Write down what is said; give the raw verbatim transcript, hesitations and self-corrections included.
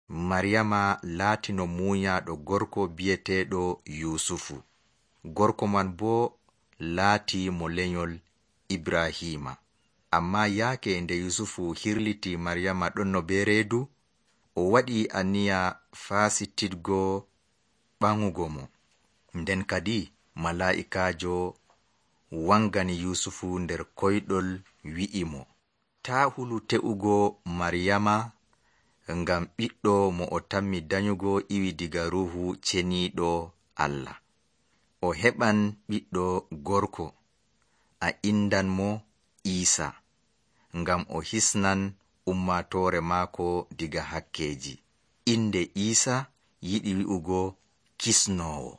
Maryama laatino muunyaaɗo gorko bi'eteeɗo Yuusufu. Gorko man boo laati mo lenyol Ibrahiima. Ammaa yaake nde Yuusufu hirlitii Maryama ɗonno bee reedu, o waɗi aniya faasitidgo ɓaŋugo mo. Nden kadi malaa'ikaajo wangani Yuusufu nder koyɗol wi'i mo, taa hulu te'ugo Maryama, ngam ɓiɗɗo mo o tammi danyugo iwi diga Ruuhu Ceniiɗo Allah. O heɓan ɓiɗɗo gorko, a indan mo Iisa, ngam o hisnan ummatoore maako diga hakkeeji. Inde Iisa yiɗi wi'ugo kisnoowo.